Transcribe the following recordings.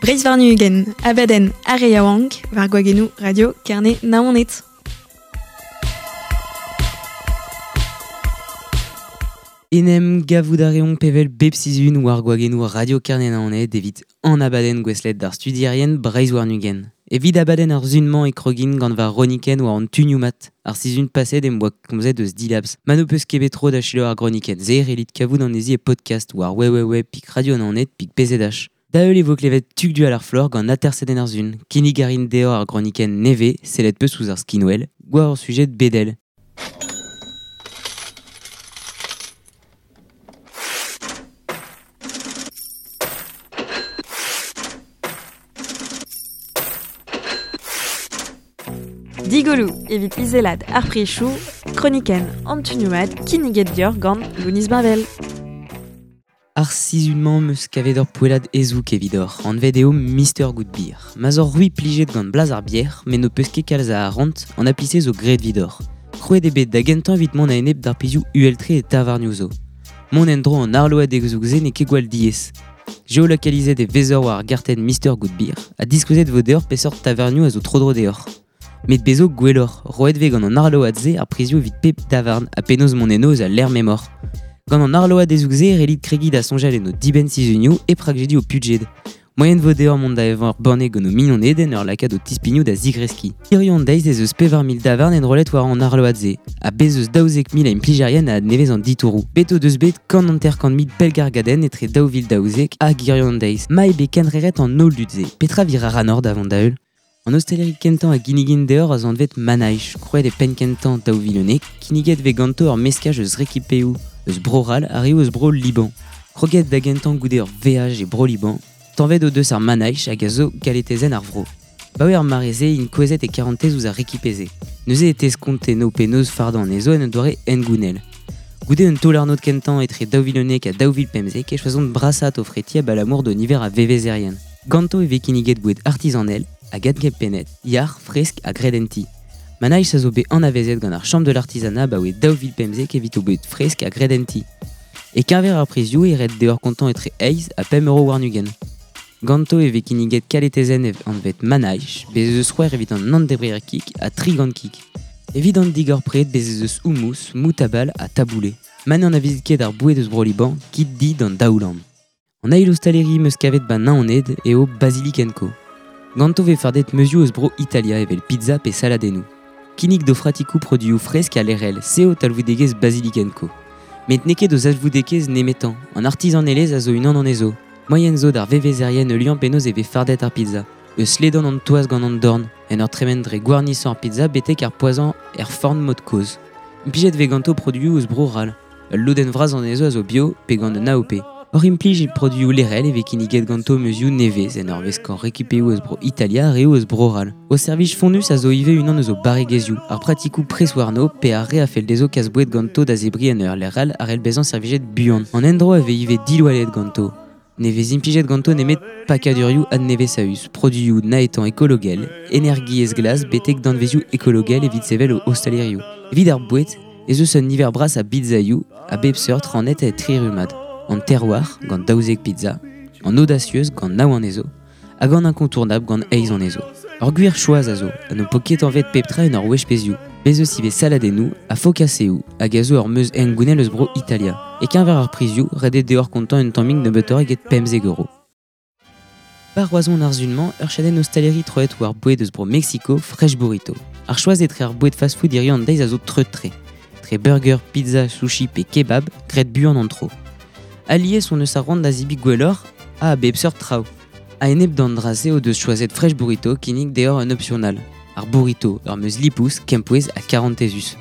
Breizh warn-ugent, abadenn ar re yaouank, war gwagennoù Radio Kerne Naoned. En em gavout a reomp evel bep sizhun war gwagennoù Radio Kerne Naoned evit an abadenn gouestlet d'ar studierien Breizh warn-ugent. Evit abadenn ar sizhun-mañ e krogin gant va ronikenn war an tunioù mat. Ar sizhun paset em boa komzet eus Dilabs. Ma n'ho peus ket bet tro da selaou ar gronikenn-se, relit kavout anezhi e podcast war www.radionaoned.pzh. Da heul e vo klevet Tugdual ar Flor gant atersadenn ar sizhun. Kinnig a rin deoc'h ar gronikenn nevez, sellet peus ouzh ar skinwel, war ur sujed bedel. Digoloù evit izelat ar prizioù, kronikenn an tunioù mat kinniget deoc'h gant Lounis Bavel. Ar sizhun-mañ 'm eus kavet ur poellad hezoug evidoc'h, anvet eo Mister Good Beer. Ma 'z oc'h c'hwi plijet gant blaz ar bier, met n'ho peus ket kalz a arc'hant, an appli-se zo graet evidoc'h. Krouet eo bet da gentañ evit mont a-enep d'ar pezhioù uhel-tre e tavarnioù zo. Mont en-dro an arloadeg-zoug-se n'eo ket gwall diaes. Geolokalizet e vezor war ar gartenn Mister Good Beer ha diskouezet e vo deoc'h peseurt tavarnioù a zo tro-dro deoc'h. Met bez zo gwelloc'h, roet vez gant an arload-se ar prizioù evit pep tavarn ha penaos mont eno eus al lec'h m'emaoc'h. Gant an arloadezhoù-se e c'hellit kregiñ da soñjal en ho dibenn-sizhunioù hep rakjediñ ho pudjed. Moaien vo deoc'h mont da evañ ur banne gant ho mignoned en ur lakaat ho tispignoù da zigreskiñ. Hiziv an deiz ez eus 4000 davarn enrollet war an arload-se, ha bez' eus 12 000 a implijerien a adnevez an ditouroù. Bet o deus bet 150 000 pellgargadenn etre 2012 hag hiziv an deiz. Ma eo bet kenreret an holl dud-se, petra vir a ra da vont da heul? An ostaleri kentañ a ginnigin deoc'h a zo anvet Manaich, krouet e penn-kentañ 2011, kinniget vez ganto ur meskaj eus rekipeoù eus Bro-C'hall ha reoù eus Bro-Liban. Kroget da gentañ goude ur veaj e Bro-Liban, tañvet o deus ar Manaich hag a zo galetezenn ar vro. Baoe ar mare-se int kouezhet e karantez ouzh ar rekipe-se. Neuze e teskont eno penaos fardañ anezho en un doare hengounel. Goude un taol-arnod kentañ etre 2011 ha 2015 e choazont brasaat o freti abalamour d'o niver a vevezerien. Ganto e vez kinniget boued artizanel hag adkempennet, yac'h, fresk ha graet en ti. Manaich a zo bet anavezet gant ar Chambre de l'artisanat abaoe 2015 evit o boued fresk ha graet en ti. E-keñver ar prizioù e ret deoc'h kontañ etre eizh ha pemp euro warn-ugent. Ganto e vez kinniget kaletezenn anvet Manaich, bez' ez eus c'hwec'h evit an nann-debrer kig ha tri gant kig. Evit an digor-pred bez' ez eus houmous, moutabal ha taboulé. Ma n'anavezit ket ar boued eus Bro-Liban, kit di d'an daoulamm. An eil ostaleri 'm eus kavet 'ba Naoned eo Basilikenko. Ganto 'vez fardet meuzioù eus Bro-Italia evel pizza pe saladennoù. Kinnig d'o fratikoù produioù fresk ha lec'hel, se eo talvoudegezh Basilikenko. Met n'eo ket o zalvoudegezh nemetañ, an artizanelezh a zo unan anezho. Moaien zo d'ar vevezerien heuliañ penaos e vez fardet ar pizza. Eus ledan an toaz gant an dorn, en ur tremen dre gwarnisañ ar pizza betek ar poazhañ er forn mod kozh. Implijet 'vez ganto produioù eus Bro-C'hall. Ul lodenn vras anezho a zo bio pe gant un AOP. Oc'h implij produioù lec'hel e vez kinniget ganto meuzioù nevez en ur veskañ rekipeoù eus Bro-Italia ha reoù eus Bro-C'hall. O servij fonnus a zo ivez unan eus o barregezhioù, ar pratikoù pres warno pe ar re a fell dezho kas boued ganto da zebriñ en ur lec'h all a c'hell bezañ servijet buan. An endro a vez ivez diloalet ganto. Ne vez implijet ganto nemet pakadurioù adnevesaüs, produioù naetañ ekologel, energiezh glas betek danvezioù ekologel evit sevel o ostalerioù. Evit ar boued ez eus un niver bras a bizzaioù a bep seurt rannet e tri rummad, an terroir gant 12 pizza, an audacieuse gant nav anezho, hag an incontournable gant eizh anezho. Ur gwir choaz a zo, ha n'ho po ket anvet pep tra en ur wech pezhioù. Bez eus ivez saladennoù ha fokaseoù hag a zo ur meuz hengounel eus bro Italia. E-keñver ar prizioù, ret eo deoc'h kontañ un tammig nebeutoc'h eget 15 euro. War Roazhon ar sizhun-mañ, ur chadenn ostaleri troet war boued eus bro Meksiko, Fresh Burrito. Ar choaz etre ar boued fast-food hiziv an deiz a zo treut-tre. Tre burger, pizza, sushi pe kebab, graet buan an tro. Alies on eus ar c'hoant da zebriñ gwelloc'h ha a bep seurt traoù. A-enep d'an dra-se o deus choazet Fresh Burrito kinnig deoc'h un option all, ar burrito, ur meuz lipous, kempouez ha karantezus.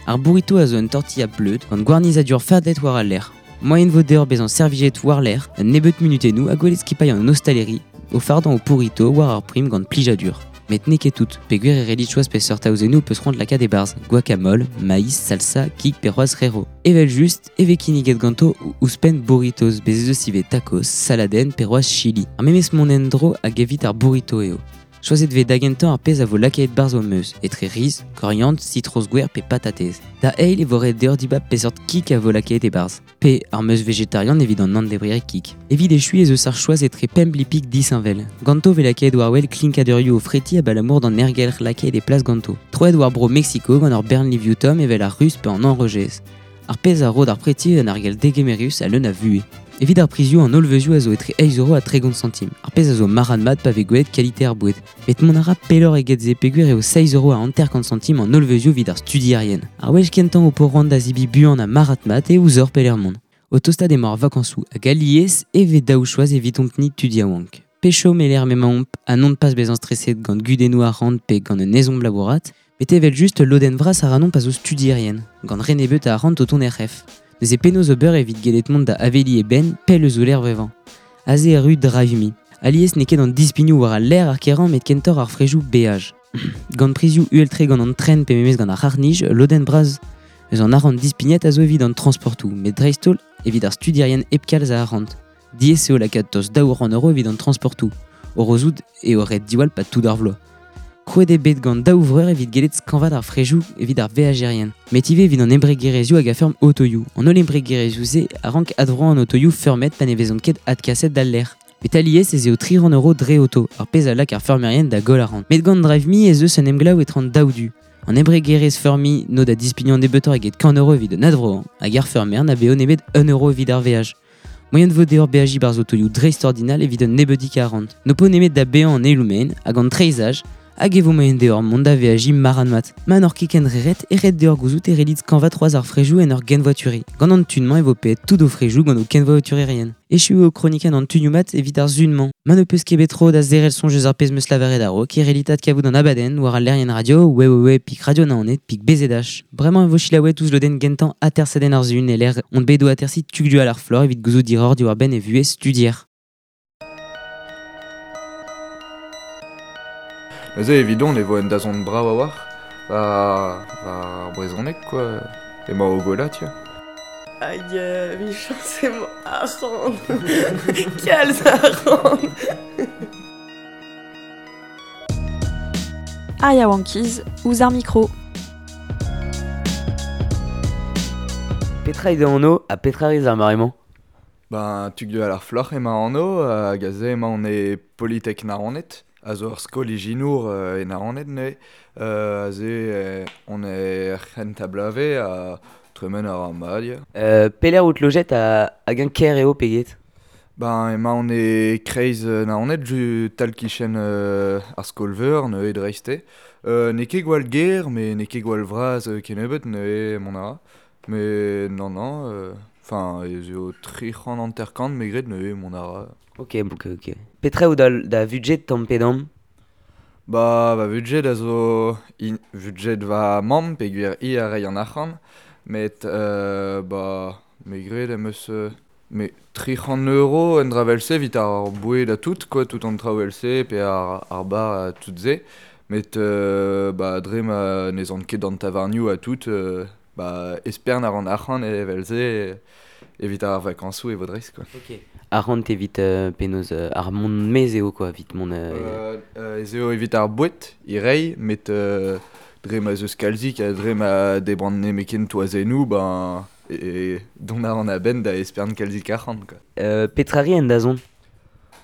Ar burrito a zo un tortilla bleud gant gwarnizadur fardet war al lec'h. Moaien vo deoc'h bezañ servijet war-lerc'h un nebeud munutennoù ha gwelet skipailh an ostaleri o fardañ ho pourrito war ar prim gant plijadur. Met n'eo ket tout, peogwir e relit choaz peseurt aozennoù peus c'hoant lakaat e-barzh, guacamole, maïs, salsa, kig pe c'hoazh rero. Evel-just e vez kinniget ganto ouzhpenn burritos, bez' ez eus ivez tacos, saladenn pe c'hoazh chili. Ar memes mont en-dro hag evit ar burrito eo. Choazet vez da gentañ ar pezh a vo lakaet 'barzh ho meuz, etre riz, koriandr, sitroz gwer pe patatez. Da eil e vo ret deoc'h dibab peseurt kig a vo lakaet e-barzh. Pe ar meuz vegetarian evit an nann-debrier kig. Evit echuiñ ez eus ar choaz etre pemp lipig disheñvel. Ganto vez lakaet war-wel klinkadurioù o fretiñ abalamour d'an aergelc'h lakaet e plas ganto. Troet war bro Mexico gant ur bern livioù tomm evel ar ruz pe an enrojez. Ar pezh a ro d'ar preti un argel degemerus ha leun a vuhez. Evit ar prizioù an holl veuzioù a zo etre 8 euro ha 30 santim. Ar pezh a zo marc'had-mat pa vez gwelet kalite ar boued. Met mont a ra pelloc'h eget se peogwir eo 6 euro ha 50 santim an holl veuzioù evit ar studierien. Ar wech kentañ ho po c'hoant da zebriñ buan ha marc'had-mat eo ouzhoc'h pelec'h mont. O tostaat emañ ar vakañsoù hag alies e vez daou choaz evidomp-ni tud yaouank. Pe chom e-lec'h m'emaomp ha non pas bezañ streset gant gudennoù arc'hant pe gant un ezhomm labourat, met evel-just ul lodenn vras a ranomp a zo studierien, gant re nebeut a arc'hant o tont er c'hef. Neuze penaos ober evit gellet mont da aveliñ e benn pell eus o lec'h vevañ. Aze erru Drive Me. Alies n'eo ket an dispignoù war al lec'h ar kerañ met kentoc'h ar frejoù beaj. Gant prizioù uhel-tre gant an tren pe memes gant ar c'harr-nij, lodenn bras eus an arc'hant dispignet a zo evit an transportoù, met dreist-holl evit ar studierien hep kalz a arc'hant. Diaes eo lakaat tost 200 euro evit an transportoù. O rozout eo ret diwall 'pad tout ar vloaz. Krouet eo bet gant daou vreur evit gellet skañvaat ar frejoù evit ar veajerien. Met ivez evit an embregerezhioù hag a feurm otoioù. An holl embregerezhioù-se a rank advroañ an otoioù feurmet pa ne vezont ket adkaset d'al lec'h. Met alies ez eo 300 euro dre oto, ar pezh a lak ar feurmerien da goll arc'hant. Met gant Drive Me ez eus un emglev etre an daou du. An embregerezh feurmiñ n'o da dispignañ nebeutoc'h eget 100 euro evit un advroañ, hag ar feurmer na baeo nemet 1 euro evit ar veaj. Moaien vo deoc'h beajiñ 'barzh otoioù dreistordinal evit un nebeudig arc'hant. N'ho po nemet da baeañ an eiloù-maen hag an treizhaj, hag e vo moaien deoc'h mont da veajiñ marc'had-mat. Ma n'oc'h ket ken reret e ret deoc'h gouzout e c'hellit skañvaat c'hoazh ar frejoù en ur genvoaturiñ. Gant an tun-mañ e vo paeet tout ho frejoù gant ho kenvoaturerien. Echu eo kronikenn an tunioù-mat evit ar sun-mañ. Ma n'ho peus ket bet tro da zerc'hel soñj eus ar pezh 'm eus lavaret a-raok e c'hellit adkavout an abadenn war al lec'hienn radio www.radionaoned.bzh. Bremañ e vo selaouet ouzh lodenn gentañ atersadenn ar sun e-lec'h on bet o atersiñ Tugdual ar Floc'h evit gouzout hiroc'h diwar-benn e vuhez studier. Neuze evidon e vo un dazont brav a-walc'h war ar brezhoneg quoi. Emañ o gwellañ tiens. Hag emichañs emañ arc'hant. Kalz arc'hant. Ar yaouankiz ouzh ar mikro. Petra eo da anv ha petra rez ar mare-mañ? Ben, Tugdual ar Floc'h emañ anv, hag aze emaon e Politek Naoned, a zo ur skol ijinour e Naoned neuze. Aze on er c'hentañ bloavezh ha tremen a ra mat ya. Pelec'h out lojet hag eñ ker eo pe get? Ben emaon e kreiz Naoned, tal-kichen ar skol-veur neuze dreist eo. N'eo ket gwall ger, met n'eo ket gwall vras kennebeut neuze mont a ra. Mais non, non, enfin ez eo 350 me gred neuze mont a ra. Ok, ok, ok. Petra eo da vudjed tamm pe damm? Ba va vudjed a zo vudjed va mamm peogwir hi a ray an arc'hant, met ba me gred em eus me 300 euro un dra evel-se evit ar boued ha tout quoi, tout an traoù evel-se pe ar bar ha tout se. Met ba dre ma n'ez an ket d'an tavarnioù ha tout, ba espern a ran arc'hant evel-se evit ar vakañsoù e vo dreist quoi. Ok. Arc'hant evit penaos ar mont maez eo quoi, evit mont... Ez eo evit ar boued, e reiñ, met dre ma 'z eus kalzik ha dre ma debran nemetken toazennoù, ben e dont a ran a-benn da espern kalzik arc'hant quoi. Petra 'ri en dazont?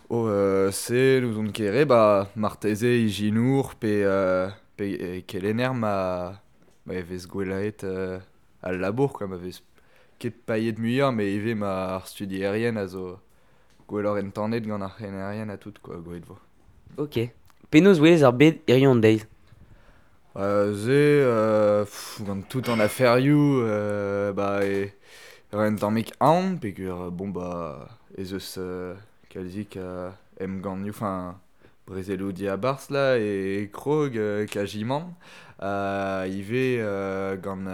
Oh se n'ouzon ket re, ba marteze ijinour pe pe kelenner ma e vez gwellaet al labour quoi, ma vez ket paeet muioc'h met ivez ma ar studierien a zo gwelloc'h entanet gant ar c'helennerien ha tout quoi, gwelet vo. Ok. Penaos 'welez ar bed hiziv an deiz? Se gant tout an aferioù ba e un tammig aon peogwir bon ba ez eus kalzik emgannioù, enfin brezeloù diabarzh là e krog kazimant. Ivez gant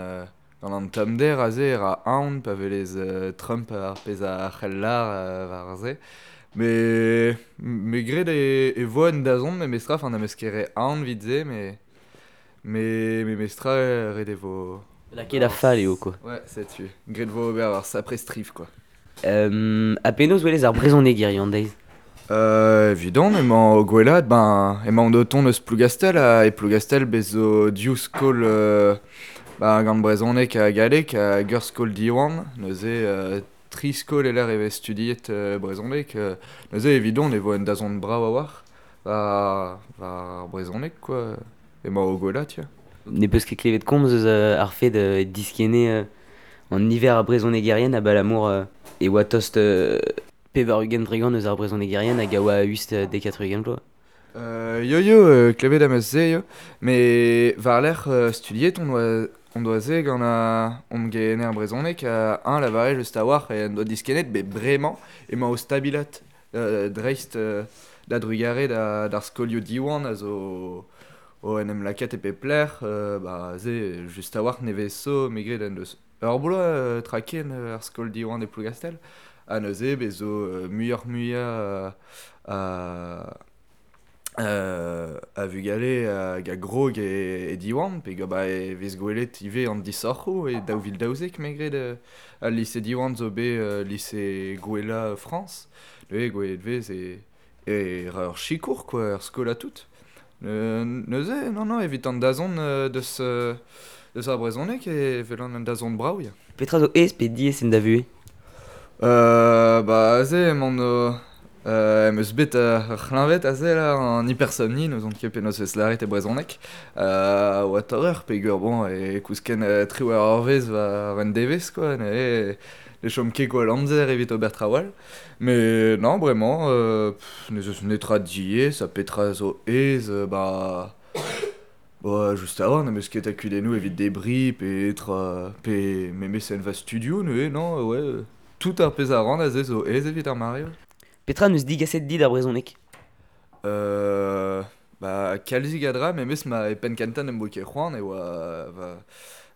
gant an tommder aze e ra aon pa welez Trump ar pezh a c'hell lâr war se. Mais me gred e vo un dazont memestra, enfin n'am eus ket re aon evit se, mais memestra ret e vo... Lakaet da fall eo quoi. Ouais, setu. Graet vo ober ar sapre striv quoi. Ha penaos 'welez ar brezhoneg hiziv an deiz? Evidon, emañ o gwelat, ben, emañ o tont eus Plougastel, ha e Plougastel bez zo div skol ba, gant brezhoneg ha galleg hag ur skol Diwan, neuze tri skol e lec'h e vez studiet brezhoneg, neuze evidon e vo un dazont brav a-walc'h war ar brezhoneg, quoi, emañ o gwelat, ya. Ne peus ket klevet komz eus ar fed diskenne an niver a brezhonegerien abalamour e oa tost 80% eus ar brezhonegerien hag a oa a-us dek ha 80 vloaz. Yo yo, klevet am eus se yo, met war-lerc'h studiet on doa se gant hon gehenner brezhoneg, eñ lavare just a-walc'h en doa diskennet bet bremañ emañ o stabilat dreist da drugarez d'ar skolioù Diwan a zo o en em lakaat e pep lec'h, ba se just a-walc'h nevez zo me gred en deus ur bloaz traken ar skol Diwan e Plougastel, ha neuze bez zo muioc'h-muiañ a vugale hag a grog e Diwan, pe ba e vez gwelet ivez an disoc'hoù e 2012 me gred al lise Diwan zo bet lise gwellañ Frañs, neuze gwelet vez e ra ur sikour quoi, ur skol ha tout. Neuze, non, non, evit an dazont deus ar brezhoneg e welan an dazont brav, ya. Petra zo aes pe diaes en da vuhez? Ba aze emaon em eus bet ur c'hleñved aze là, an hypersomnie, n'ouzon ket penaos vez lâret e brezhoneg. Oa torr peogwir bon e kousken triwec'h eurvezh war un devezh quoi, neuze ne chom ket gwall amzer evit ober traoù all. Mais non, bremañ, n'ez eus netra diaes ha petra zo aes, ba Ba just a-walc'h n'em eus ket a kudennoù evit debriñ pe tra pe memes en va studio neuze, non, ouais, tout ar pezh a ran aze zo aes evit ar mare. Petra n'eus digaset dit ar brezhoneg? Ba kalzik a dra, memes ma e penn-kentañ n'em boa ket c'hoant e oa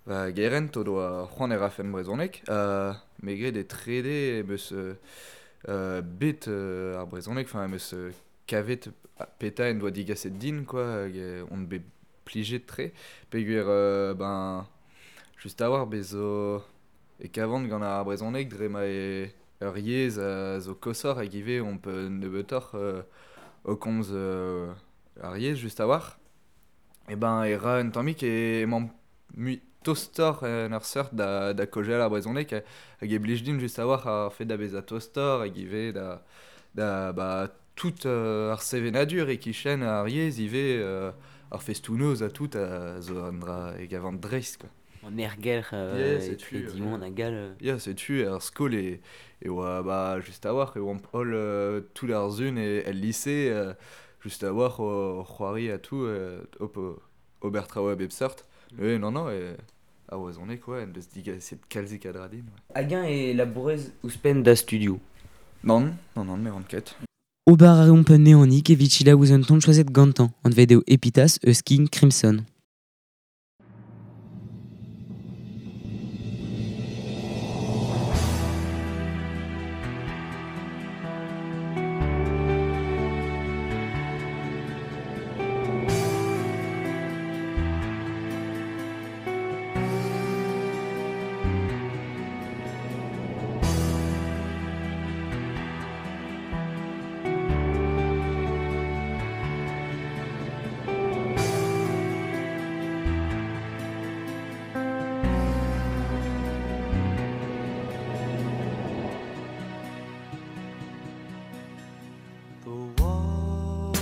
va gerent o doa c'hoant e rafen brezhoneg. Me gred e trede em eus bet ar brezhoneg, enfin em eus kavet petra en doa digaset din, quoi, hag on bet plijet tre, peogwir ben just a-walc'h bez zo e kavan gant ar brezhoneg dre ma eo ur yezh a zo koshoc'h hag ivez omp nebeutoc'h o komz ar yezh just a-walc'h. E ben e ra un tammig emañ mui tostoc'h en ur seurt da kaozeal ar brezhoneg hag e blij din just a-walc'h ar fed da vezañ tostoc'h hag ivez da ba tout ar sevenadur e-kichen ar yezh ivez ar festoù-noz ha tout a zo un dra e gavan dreist, quoi. An aergelc'h etre Diwan hag all. Ya, setu ar skol e oa ba just a-walc'h e oamp holl tout ar sun el lise just a-walc'h o c'hoari ha tout ober traoù a bep seurt. Non, non, ar brezhoneg, ouais, en deus digaset kalzik a dra din. Hag-eñ e labourez ouzhpenn da studioù? Non, non, non, ne ran ket. Ober a reomp un neonik evit selaou ouzh un ton choazet gantañ, anvet eo Epitas eus King Crimson. The wall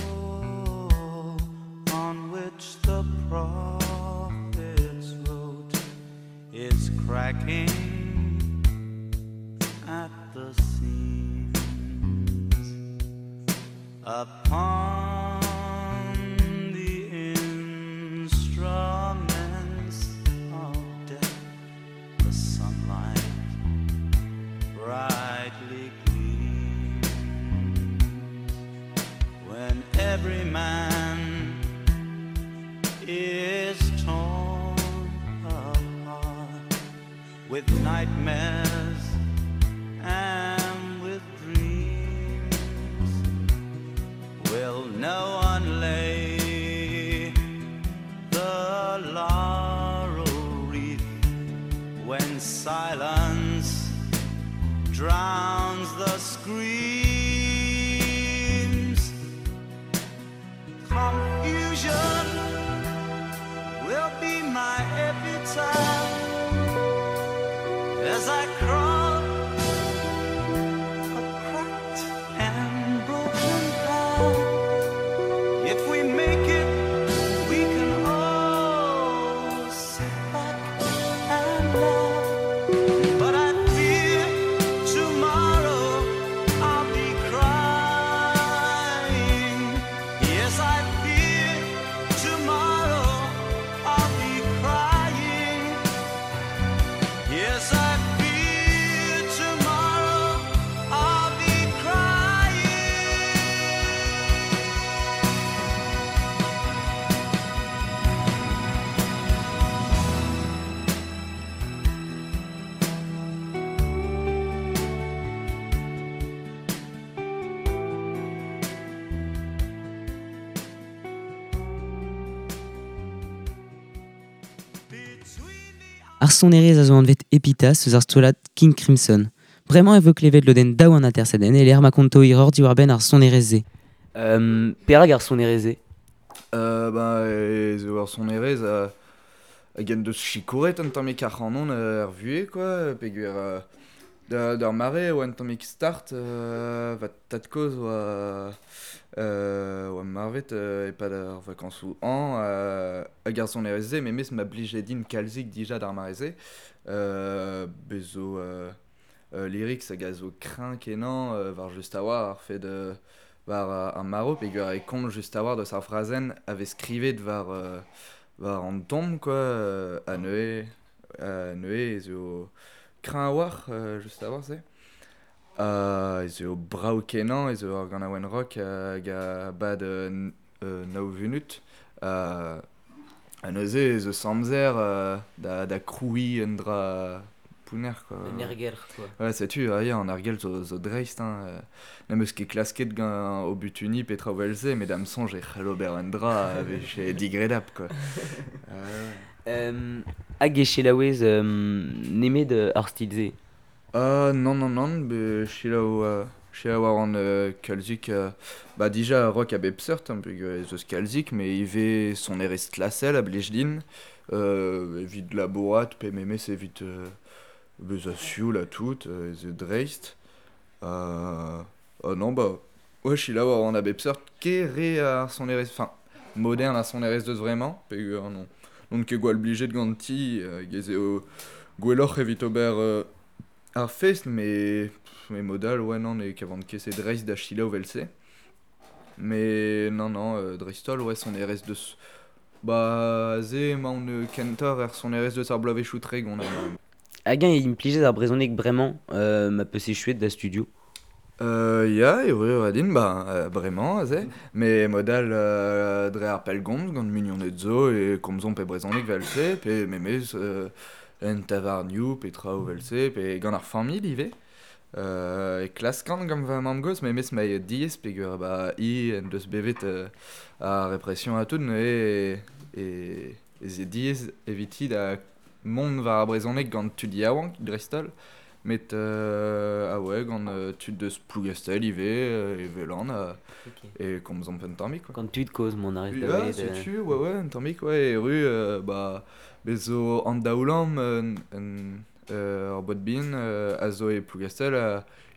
on which the prophets wrote is cracking at the seams. Upon the instruments of death, the sunlight brightly gleams. When every man is torn apart with nightmares and with dreams, will no one lay the laurel wreath when silence drowns the screams? Confusion will be my epitaph as I crawl a cracked and broken path. If we make it, we can all sit back and laugh. But I fear tomorrow I'll be crying. Yes, I fear tomorrow I'll be crying. Yes, I fear tomorrow I'll be crying. Ar sonerezh a zo anvet Epitaph eus ar strollad King Crimson. Bremañ e vo klevet lodenn daou an atersadenn e lec'h ma konto hiroc'h diwar-benn ar sonerezh-se. Perak ar sonerezh-se? Ba, e zo ar sonerezh hag en deus sikouret un tammig ac'hanon er vuhez, quoi, peogwir d'ar mare e oa un tammig start, va tad-kozh oa marvet e-pad ar vakañsoù hañv, hag ar sonerezh-se memes ma blije din kalzik dija d'ar mare-se. Bez zo lyrics hag a zo kreñv kenañ war just a-walc'h ar fed war ar marv peogwir e komz just a-walc'h deus ar frazenn a vez skrivet war war an ton, quoi, ha neuze ez eo kreñv a-walc'h just a-walc'h se. Ez eo brav kenañ, ez eo ar ganaouenn rock hag a bad nav vunut. Ha neuze ez eus amzer da krouiñ un dra pounner, quoi. Un aergelc'h, quoi. Ouais, setu, ah, ya, an aergelc'h zo dreist, hein. N'em eus ket klasket gant o butuni petra vel-se, met da'm soñj e c'hell ober un dra a vije digredapl, quoi. Hag e selaouez nemet ar stil-se? Non, non, non, be selaou war an kalzik, ba dija rock a bep seurt, hein, peogwir ez eus kalzik, met ivez sonerezh klasel a blij din, evit labourat pe memes evit bezañ sioul ha tout, ez eo dreist. Non, ba, ouais, selaou war an a bep seurt, ket re ar sonerezh, enfin, modern ar sonerezh deus vraiment, peogwir non, n'on ket gwall blijet ganti, hag ez eo gwelloc'h evit ober ar fest, mais modal, ouais, non, e kavan ket se dreist da selaou vel-se. Mais non, non, dreist-holl, ouais, sonerezh deus... Ba, se emaon kentoc'h er sonerezh deus ar bloavezhioù tregont. Hag-eñ e implijet ar brezhoneg bremañ, ma peus echuet da studio? Ya, e eo din, ba, bremañ, aze. Mais modal dre ar pellgomz gant mignoned zo e komzomp pe brezhoneg vel-se, pe memes en tavarnioù, pe traoù vel-se, pe gant ar familh ivez. E klaskan gant va mamm-gozh, memes ma eo diaes peogwir ba hi en deus bevet ar repression ha tout, neuze ez eo diaes eviti da mont war ar brezhoneg gant tud yaouank dreist-holl. Met ah ouais, gant tud deus Plougastel ivez, e Velan, e komzomp un tammig, quoi. Gant tud kozh mont a rez da Ja, welet, setu, ouais, ouais, un tammig, ouais, e ru, ba, bez zo an daoulamm, ur bot bihan, a zo e Plougastel,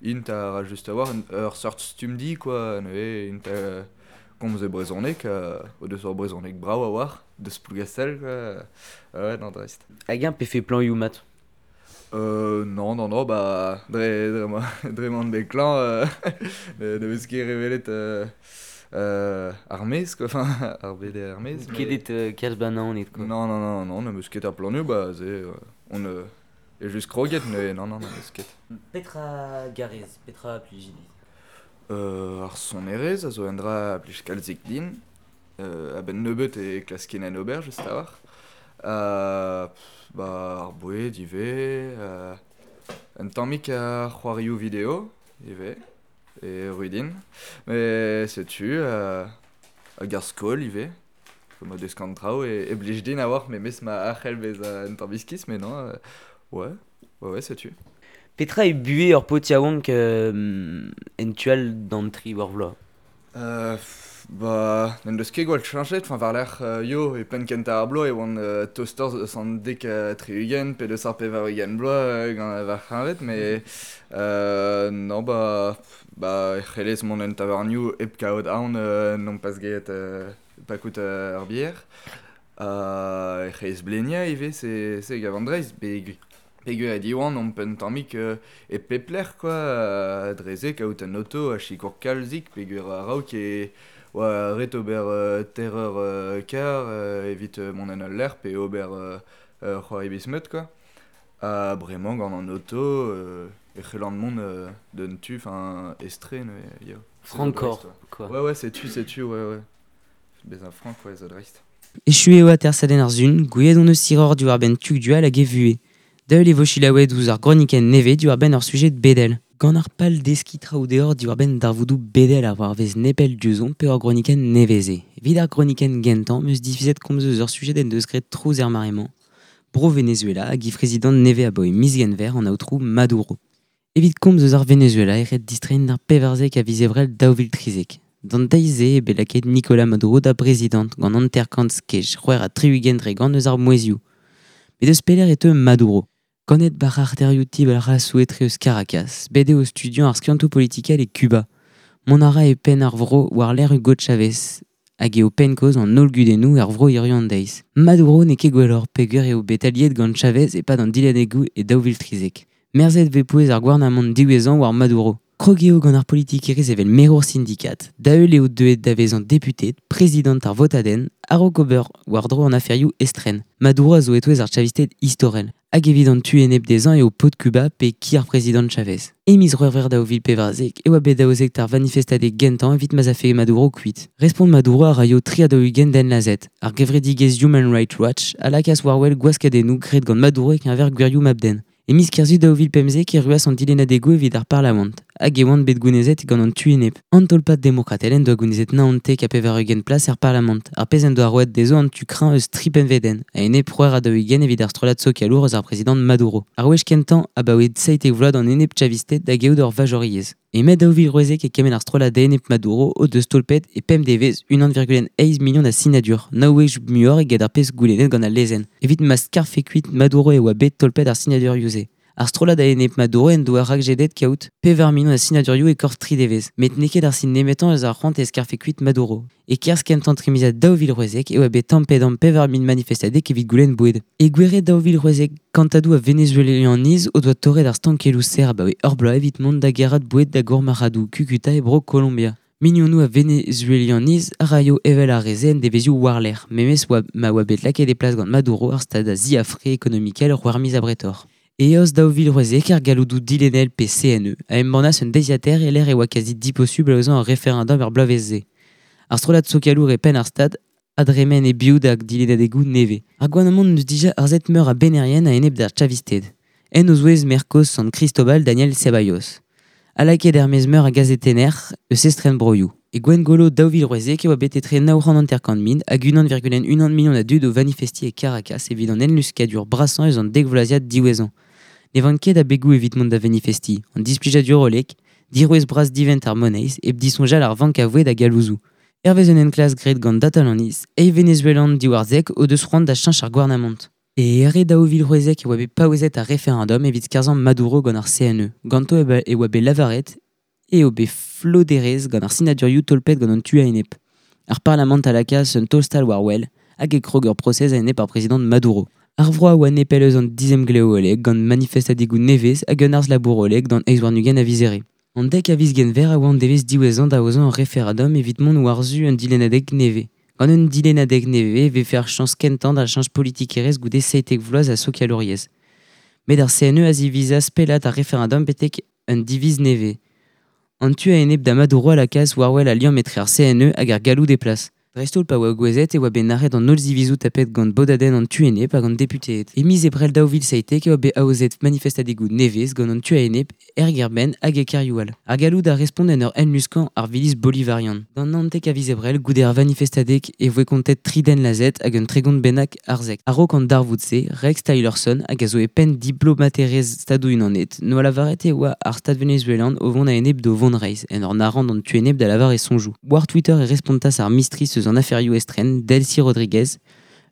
int a ra just a-walc'h ur seurt stummdi, quoi, neuze int a komz e brezhoneg, o deus ur brezhoneg brav a-walc'h, deus Plougastel, quoi, ouais, non, dreist. Hag-eñ pefe plañioù mat? Non, non, non, ba, dre m'an bet klañv, ne vez ket revelet ar maez, quoi, enfin, ar bed ar maez, mais Ket et kalz banaoned, quoi. Non, non, non, non, ne meus ket ar plañioù, ba, se, on e just kroget, mais non, non, ne meus ket. Petra garez, petra plij dit? Ar sonerezh a zo un dra a blij kalzik din, a-benn nebeut e klaskin en ober, just a-walc'h. Ba, ar boued ivez, un tammig a c'hoarioù video ivez, e Ruidin. Mais setu, hag ar skol ivez, ma deus kant traoù, e blij din a-walc'h memes ma arc'hell bezañ un tamm iskis, mais non, ouais, ouais, ouais, setu. Petra e buhez ur paotr yaouank en tu all d'an tri war vloaz? Ba, n'en deus ket gwall cheñchet, enfin war-lerc'h yo, e penn kentañ ar bloaz e oan toster eus an dek 60 pe deus ar 80 bloaz gant va c'hleñved, met non ba, ba e c'hellez mont en tavarnioù hep kaout aon nompas get pakout ar bier. E c'hellez bleniañ ivez, se gav an dreist, peogwir e Diwan omp un tammig e pep lec'h quoi, dre se kaout un oto a sikour kalzik peogwir a-raok e oa ret ober terreur kar evit mont en ul lec'h pe ober c'hoari bismeut quoi. Ha bremañ gant an oto e c'hellan mont d'un tu, enfin estren, ya. Frankor, quoi. Ouais ouais, c'est tu, ouais ouais. Bezañ frank, ouais, zo dreist. Echu eo atersadenn ar sun, gouiet on eus siror diwar benn Tugdual hag e vuhez. Daeul e vo selaouet ouzh ar gronikenn nevez diwar benn ur sujet bedel. Gant ar pal deskiñ traoù deoc'h diwar benn darvoudoù bedel ar war-vez nepell diouzhomp pe ur gronikenn nevez-se. Evit ar gronikenn gentañ 'm eus divizet komz eus ur sujet en deus graet trouz er mare-mañ. Bro Venezuela hag he prezidant nevez aboe miz Genver an aotrou Maduro. Evit komz eus ar Venezuela e ret distreiñ d'ar 14 a viz Ebrel 2013. D'an deiz-se eo bet lakaet Nicolas Maduro da brezidant gant 50 skej 66% eus ar mouezhioù. Met eus pelec'h e teu Maduro. Ganet bar arterioù tib ar rasoù etre eus Caracas, bet eo studiañ ar skiantoù politikel e Cuba. Mont a ra e penn ar vro war-lerc'h Hugo Chavez, hag eo penn-kaoz an holl gudennoù er vro hiziv an deiz. Maduro n'eo ket gwelloc'h peogwir eo bet aliet gant Chavez e-pad an dilennegoù e 2013. Merzet 'vez pouez ar gouarnamant diwezhañ war Maduro. Krog eo gant ar politikerezh evel merour sindikat, da-heul eo deuet da vezañ deputet, prezidant ar votadenn, a-raok ober war-dro an aferioù estren. Maduro a zo e-touez ar Chavisted istorel. Hag evit an tu enep dezhañ eo paotr Cuba pe ki ar prezidant Chavez. E miz C'hwevrer 2014 e oa bet aozet ar vanifestadeg gentañ evit ma'z afe Maduro kuit. Respont Maduro a raio 43 den lazhet. Ar gevredigezh Human Rights Watch a lakaas war-wel gwaskadennoù graet gant Maduro e-keñver gwirioù mab-den. E miz Kerzu 2015 e ruas an dilennadegoù evit ar Parlamant, hag e oant bet gounezet gant an tu enep. An tolpad demokratel en doa gounezet 99 plas er Parlamant, ar pezh en doa roet dezho an tu kreñv eus tri pennvedenn, a-enep 46 evit ar strollad sokialour eus ar prezidant Maduro. Ar wech kentañ abaoe 17 vloaz d'an enep Chavisted da gaout ur vajoriezh. E mae 2016 e kemenn ar strollad enep Maduro o deus tolpet e pemp devezh 1,1 million a sinadur, nav wech muioc'h eget ar pezh goulennet gant al lezenn. Evit ma skarfe kuit Maduro e oa bet tolpet ar sinadurioù-se. Ar strollad a-enep Maduro en doa rakjedet kaout 4 million a sinadurioù e korf tri devezh, met n'eo ket ar sin nemetañ eus ar c'hoant e skarfe kuit Maduro. E-kerzh kentañ trimiziad 2016 e oa bet tamm-pe-damm 4 000 manifestadeg evit goulenn boued. E Gouere 2016 kantadoù a Venezuelaniz o doa torret ar stankelloù serr abaoe ur bloaz evit mont da gerc'hat boued da gourmarc'hadoù Cucuta e bro Kolombia. Milionoù a Venezuelaniz a raio evel ar re-se en devezhioù war-lerc'h, memes oa ma oa bet lakaet e plas gant Maduro ar stad a ziafre ekonomikel c'hwec'h miz abretoc'h. E eost 2016 ar galloudoù dilennel pe CNE a embannas un deiziataer e-lec'h e oa kazi diposubl aozañ ur referendum er bloavezh-se. Ar strollad sokialour e penn ar stad a dremen e-biou da dilennadegoù nevez. Ar gouarnamant n'eus dija arzet meur a bennerien a-enep d'ar Chavisted. En o zouez maer kozh San Cristobal Daniel Ceballos. Ha lakaet er-maez meur a gazetenner eus estren broioù. E Gwengolo 2016 e oa bet etre 950 000 hag 1,1 million a dud o vanifestiñ e Caracas evit an enluskadur brasañ eus an dek vloaziad diwezhañ. Ne vank ket abegoù evit mont da vanifestiñ, an displijadur hollek, dirouez bras divent ar moneiz hep disoñjal ar vank a voued hag a louzoù. Hervez un enklask graet gant Datalandiz, eizh Venezuelan diwar zek o deus c'hoant da cheñch ar gouarnamant. E Here 2016 e oa bet paouezet ar referendum evit skarzhañ Maduro gant ar CNE. Ganto e oa bet lavaret eo bet floderezh gant ar sinadurioù tolpet gant an tu a-enep. Ar Parlamant a lakaas un taol-stal war-wel hag e krog ur prosez a-enep ar prezidant Maduro. Ar vro a oa nepell eus an dizemglev hollek gant manifestadegoù nevez hag un harz-labour hollek d'an 28 a viz Here. An dek a viz Genver a oa an devezh diwezhañ da aozañ ur referendum evit mont war-zu un dilennadeg nevez. Gant un dilennadeg nevez e vefe ar chañs kentañ da cheñch politikerezh goude 17 vloaz a sokialouriezh. Met ar CNE a zivizas pellat ar referendum betek un diviz nevez. An tu a-enep da Maduro a lakaas war-wel al liamm etre ar CNE hag ar galloud e plas. Dreist-holl pa oa gouezet e oa bet nac'het an holl zivizoù tapet gant bodadenn an tu enep hag an deputeed. E miz Ebrel 2017 e oa bet aozet manifestadegoù nevez gant an tu a-enep er gêr-benn hag e kêrioù all. Ar galloud a respont en ur enluskañ ar viliz bolivarian. D'an 19 a viz Ebrel, goude ar vanifestadeg e voe kontet tri den lazhet hag un 30 bennak arzek. A-raok an darvoud-se, Rex Tillerson hag a zo e penn diplomaterezh Stadoù-Unanet n'oa lavaret e oa ar Stad venezuelan o vont a-enep d'o vonreizh en ur nac'hañ d'an tu enep da lavar e soñjoù. War Twitter e respontas ar mistri eus an aferioù estren, Delcy Rodriguez.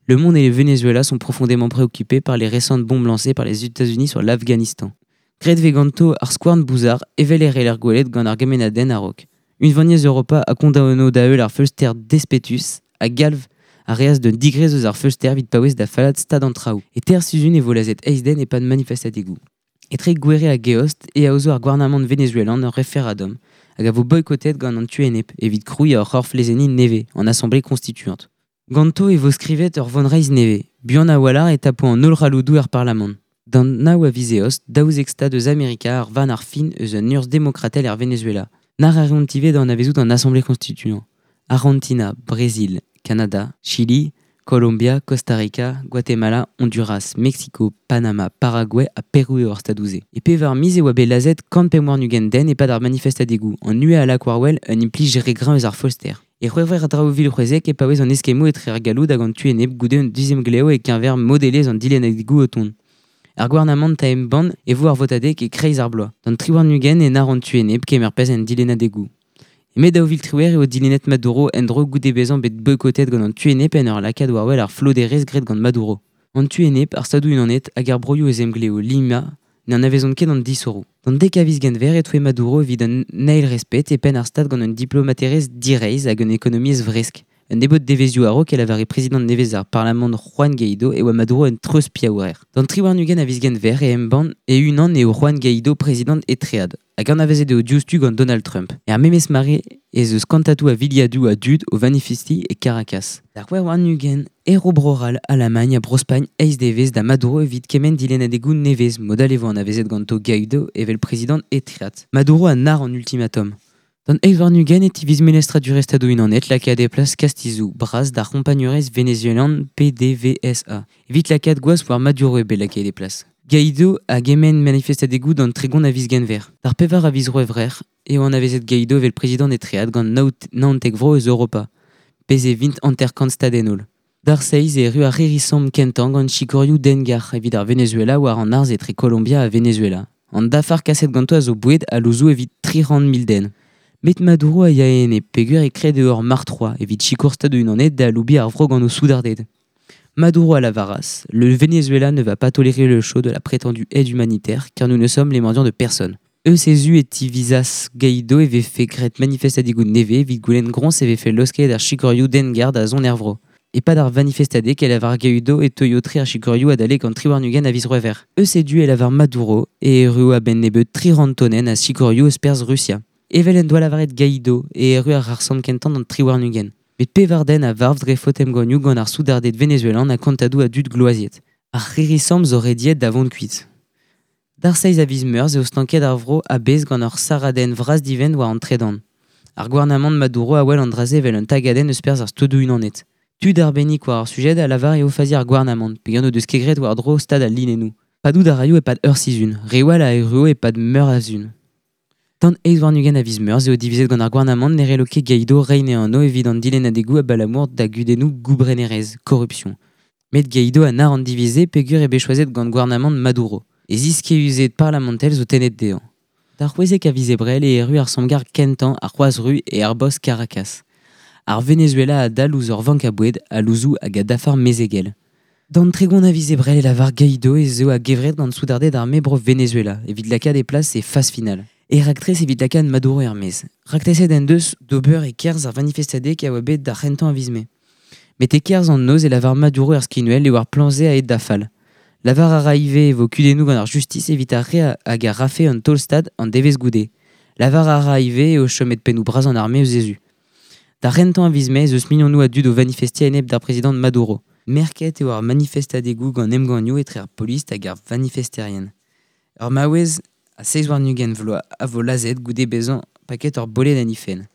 Le monde et le Venezuela sont profondément préoccupés par les récentes bombes lancées par les États-Unis sur l'Afghanistan. Graet vez ganto ar skouarn bouzar evel e reler gwelet gant ar gemennadenn a-raok. Unvaniezh Europa a kondaono da heul ar feulster despetus ha galv a reas d'un digrez eus ar feulster evit paouez da fallat stad an traoù. E ter sizhun e vo lazhet eizh den e-pad manifestadegoù. Etre Gouere hag Eost e aozo ar gouarnamant venezuelan ur referendum hag a vo boykotet gant an tu enep evit krouiñ ur c'horf lezenniñ nevez, an Assemblée constituante. Ganto e vo skrivet ur vonreizh nevez, buan a-walc'h e tapo an holl c'halloudoù er parlamant. D'an nav a viz Eost, 12 stad eus Amerika ar vann ar fin eus un urzh demokratel er Venezuela. Nac'h a reont ivez da anavezout an Assemblée constituante. Argentina, Brazil, Kanada, Chili, Colombia, Costa Rica, Guatemala, Honduras, Mexico, Panama, Paraguay ha Perou eo ar stadoù-se. E pevar miz e oa bet lazhet 125 den e-pad ar manifestadegoù, an UE a lak war-wel un implij re greñv eus ar feulster. E C'hwevrer 2016 e paouez an eskemmoù etre ar galloud hag an tu enep goude un dizemglev e-keñver modelezh an dilennadegoù o tont. Ar gouarnamant a embann e vo ar votadeg e-kreiz ar bloaz. D'an 23 e nac'h an tu enep kemer perzh en dilennadegoù. E mae 2018 eo dilennet Maduro en-dro goude bezañ bet boykotet gant an tu enep en ur lakaat war-wel ar floderezh graet gant Maduro. An tu enep, ar Stadoù-Unanet hag ar broioù eus emglev Lima n'anavezont ket an disoc'hoù. D'an dek a viz Genver e toue Maduro evit an eil respet e penn ar Stad gant un diplomaterezh direizh hag un ekonomiezh vresk. Un nebeud devezhioù a-raok e lavare prezidant nevez ar parlamant Juan Guaidó e oa Maduro un treuzpiaouer. D'an 23 a viz Genver e embann e-unan eo Juan Guaidó prezidant etread, hag anavezet eo diouzhtu gant Donald Trump. Er memes mare ez eus kantatoù a viliadoù a dud o vanifestiñ e Caracas. D'ar 26 e ro Bro-C'hall, Alamagn ha Bro-Spagn eizh devezh da Maduro evit kement dilennadegoù nevez, mod all e vo anavezet ganto Guaidó evel prezidant etreat. Maduro a nac'h an ultimatum. D'an 28 e tiviz melestradurezh Stadoù-Unanet lakaat e plas kastizoù bras d'ar c'hompagnurezh venezuelan PDVSA. Evit lakaat gwaz war Maduro eo bet lakaet e plas. Guaidó a gemenn manifestadegoù d'an 30 a viz Genver. D'ar pevar a viz C'hwevrer eo anavezet Guaidó evel prezidant etreat gant 19 vro eus Europa, pezh e vint 50 stad en holl. D'ar seizh e erru ar c'hirri-samm kentañ gant sikorioù dengar evit ar Venezuela war an harz etre Kolombia ha Venezuela. An dafar kaset ganto a zo boued ha louzoù evit 300 000 den. Met Maduro a ya enep peogwir e kred eo ur marc'h-troad evit sikour Stadoù-Unanet da aloubiñ ar vro gant o soudarded. Maduro a lavaras Le Venezuela ne va pas tolérer le show de la prétendue aide humanitaire car nous ne sommes les mendiants de personne. Eus he zu e tivizas Guaidó e vefe graet manifestadegoù nevez evit goulenn groñs e vefe laosket ar sikorioù dengar da zont er vro. E-pad ar vanifestadeg e lavar Guaidó e teuio tre ar sikorioù adalek an 23 a viz C'hwevrer. Eus e du e lavar Maduro e erruo a-benn nebeut 300 tonenn a sikorioù eus perzh Rusia. Evel en doa lavaret Guaidó e erru ar c'harr-samm kentañ d'an 23. Met pevar den a varv dre faot emgannioù gant ar soudarded venezuelan ha kantadoù a dud gloaziet. Ar c'hirri-samm zo rediet da vont kuit. D'ar seizh a viz Meurzh eo stanket ar vro a-bezh gant ur sarradenn vras-divent war an tredan. Ar gouarnamant Maduro a wel an dra-se evel un tagadenn eus perzh ar Stadoù-Unanet. Tud arbennik war ar sujed a lavar eo fazi ar gouarnamant, peogwir n'o deus ket graet war-dro stad al linennoù. Padout a raio e-pad ur sizhun, reoù all a erruo e-pad meur a sizhun. D'an 28 a viz Meurzh eo divizet gant ar gouarnamant ne c'hello ket Guaidó reiñ e anv evit an dilennadegoù abalamour da gudennoù goubrenerezh, korrupsion. Met Guaidó a nac'h an diviz-se peogwir eo bet choazet gant gouarnamant Maduro. E ziskeüzed parlamentel zo tennet dezhañ. D'ar 16 a viz Ebrel e erru ar sammgarr kentañ ar C'hroaz-Ru e aerborzh Caracas. Ar Venezuela a dal ouzh ur vank a boued, a louzoù hag a dafar mezegel. D'an 30 a viz Ebrel e lavar Guaidó ez eo a-gevret gant soudarded arme bro Venezuela evit lakaat e plas e fas final. E raktres evit lakaat Maduro er-maez. Raktreset en deus d'ober e-kerzh ar vanifestadeg a oa bet d'ar c'hentañ a viz Mae. Met e-kerzh an noz e lavar Maduro er skinwel eo ar plan-se aet da fall. Lavar a ra ivez e vo kudennoù gant ar justis evit ar re hag a rafe un taol-stad an devezh goude. Lavar a ra ivez eo chomet pennoù bras an arme eus he zu. D'ar c'hentañ a viz Mae ez eus milionoù a dud o vanifestiñ a-enep d'ar prezidant Maduro. Merket eo ar manifestadegoù gant emgannioù etre ar polis hag ar vanifesterien. Ur maouez a 27 vloaz a vo lazhet goude bezañ paket ur boled en he fenn.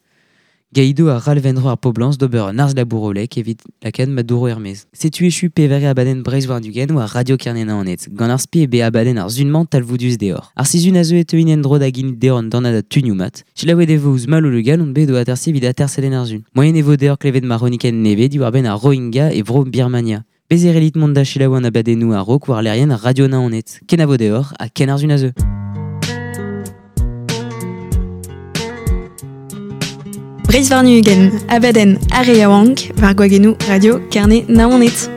Gaido a ral vendro ar poblans d'ober un arz labourolek evit lakaat ma douro ermez. Setu echu pevare abadenn Breizh war dugen war Radio Kernena an et. Gant ar spi e be abadenn ar zunman talvoudus deor. Ar sizun a zeu e teuin endro da ginit deor an dornad a tunioù mat. Selaouet e vo ouzh Malo Le Gall on bet o atersi evit atersadenn ar zun. Moyen e vo deor klevet ma roniken neve diwar ben ar Rohingya e vro Birmania. Bez e relit mont da selaou an abadennoù a rok war lerien Radio Naoned. Kenavo deor ha ken ar zun a zeu. Breizh warn-ugent, abadenn ar re yaouank, war gwagennoù Radio Kerne Naoned.